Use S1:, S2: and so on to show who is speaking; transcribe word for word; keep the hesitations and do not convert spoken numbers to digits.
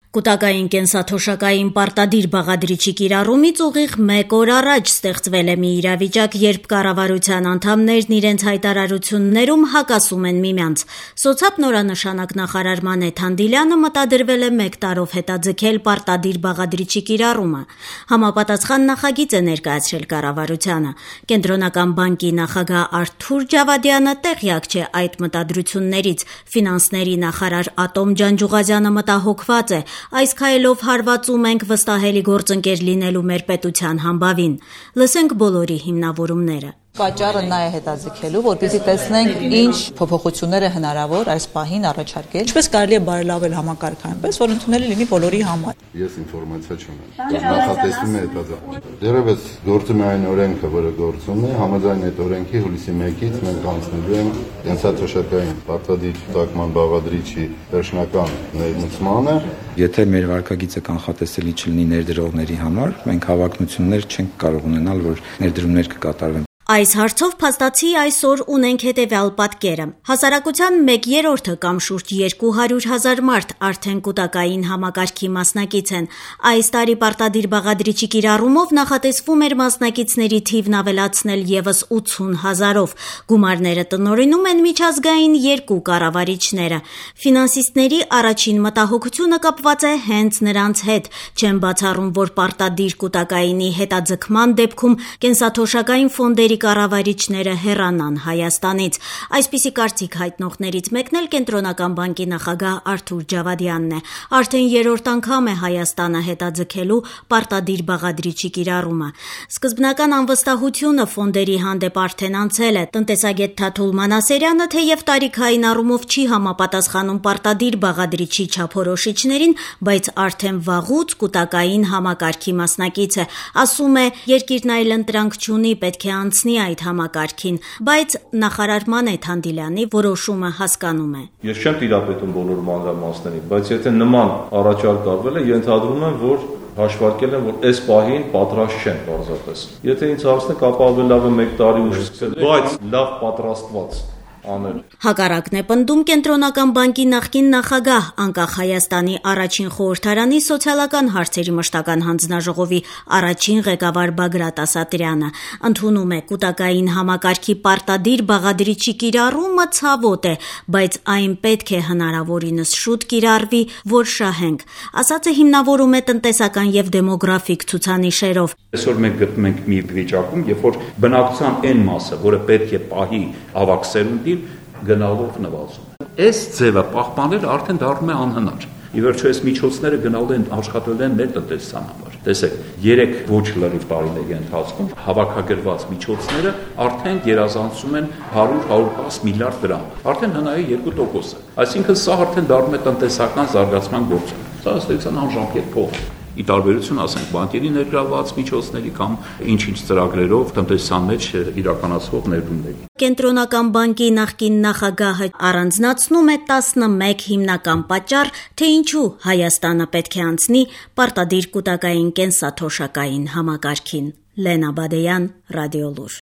S1: Կուտակային կենսաթոշակային պարտադիր բաղադրիչի կիրառումից ուղիղ մեկ օր առաջ ստեղծվել է մի իրավիճակ, երբ կառավարության անդամներն իրենց հայտարարություններում հակասում են միմյանց։ Սոցապ նորանշանակ նախարար Մանեթ Հանդիլյանը մտադրվել է մեկ տարով հետաձգել պարտադիր բաղադրիչի կիրառումը։ Համապատասխան նախագիծ է ներկայացրել կառավարությանը։ Կենտրոնական բանկի նախագահ Արթուր Ջավադյանը տեղյակ չէ այդ մտադրություններից։ Ֆինանսների նախարար Ատոմ Ջանջուղազյանը մտահոգված է։ Այս քայլով հարվածում ենք վստահելի գործընկեր լինելու մեր պետության համբավին։ Լսենք բոլորի հիմնավորումները։
S2: Պատճառը նա է հետաձգելու, որպեսզի տեսնենք ինչ փոփոխություններ է հնարավոր այս պահին առաջարկել, ինչպես կարելի է բարելավել համակարգը այնպես, որ ընդունելի լինի բոլորի համար։
S3: Ես ինֆորմացիա չունեմ։ Նախատեսվում է հետաձգել։ Դեռևս գործում է այն օրենքը, որը գործում է, համաձայն այդ օրենքի հուլիսի մեկից մենք անցնելու ենք կենսաթոշակային պարտադիր կուտակման բաղադրիչի վերջնական ներմուծմանը։
S4: Եթե մեր վարկագիծը կանխատեսելի չլինի ներդրողների համար, մենք հավակնություններ չենք կարող ունենալ, որ ներդրումներ կկատարվեն։
S1: Այս հարցով փաստացի այսօր ունենք հետևյալ պատկերը։ Հասարակության մեկ երրորդը կամ շուրջ երկու հարյուր հազար մարդ արդեն կուտակային համակարգի մասնակից են։ Այս տարի պարտադիր բաղադրիչի կիրառումով նախատեսվում էր մասնակիցների թիվն ավելացնել ևս ութսուն հազարով։ Գումարները տնօրինում են միջազգային երկու կառավարիչները։ Ֆինանսիստների առաջին մտահոգությունը կապված է հենց նրանց հետ։ Չեն բացառում, որ պարտադիր կուտակայինի հետաձգման դեպքում կենսաթոշակային ֆոնդերի կառավարիչները հեռանան Հայաստանից։ Այսպիսի կարծիք հայտնողներից մեկն էլ Կենտրոնական բանկի նախագահ Արթուր Ջավադյանն է։ Արդեն երրորդ անգամ է Հայաստանը հետաձգելու պարտադիր բաղադրիչի կիրառումը։ Սկզբնական անվստահությունը ֆոնդերի հանդեպ արդեն անցել է։ Տնտեսագետ Թաթուլ Մանասերյանը թեև տարիքային առումով չի համապատասխանում պարտադիր բաղադրիչի չափորոշիչներին, բայց արդեն վաղուց կուտակային համակարգի մասնակից է։ Ասում է, երկիրն այլ ընտրանք չունի, պետք է անցնի այդ համակարգին, բայց նախարար Մանեթ Հանդիլյանի որոշումը հասկանում է։
S5: Ես չեմ տիրապետում բոլոր մանրամասներին, բայց եթե նման առաջարկ արվել է, ենթադրում եմ, որ հաշվարկել են, որ այս պահին պատրաստ չեն պարզապես։ Եթե ինձ հարցնեք, ապա ավելի լավ է մեկ տարի ուշ սկսել, բայց լավ պատրաստված անել։
S1: Հակառակն է պնդում Կենտրոնական բանկի նախկին նախագահ, անկախ Հայաստանի առաջին խորհրդարանի սոցիալական հարցերի մշտական հանձնաժողովի առաջին ղեկավար Բագրատ Ասատրյանը։ Ընդունում է կուտակային համակարգի պարտադիր բաղադրիչի կիրառումը ցավոտ է, բայց այն պետք է հնարավորինս շուտ կիրառվի, որ շահենք։ Ասածը հիմնավորում է տնտեսական եւ դեմոգրաֆիկ ցուցանիշերով։
S6: Այսօր մենք գտնվում ենք մի վիճակում, երբ որ բնակչության այն մասը, որը պետք է պահի ավակ սերունդին, գնալով նվազում է։ Այս ձևը պահպանել արդեն դառնում է անհնար։ Ի վերջո այս միջոցները գնալու են աշխատել են մեր տնտեսության համար։ Տեսեք, երեք ոչ լրիվ տարիների ընթացքում հավաքագրված միջոցները արդեն գերազանցում են հարյուր հարյուր տասը միլիարդ դրամ։ Արդեն հնայի երկու տոկոս է։ Այսինքն սա արդեն դառնում է տնտեսական զարգացման գործոն։ Սա ըստ անժամկետ փող։ Ի տարբերություն, ասենք, բանկերի ներգրավված միջոցների կամ ինչ-ինչ ծրագրերով տնտեսության մեջ իրականացվող ներդրումների։
S1: Կենտրոնական բանկի նախկին նախագահը առանձնացնում է տասնմեկ հիմնական պատճառ, թե ինչու Հայաստանը պետք է անցնի պարտադիր կուտակային կենսաթոշակային համակարգին։ Լենա Բադեյան, Ռադիոլուր։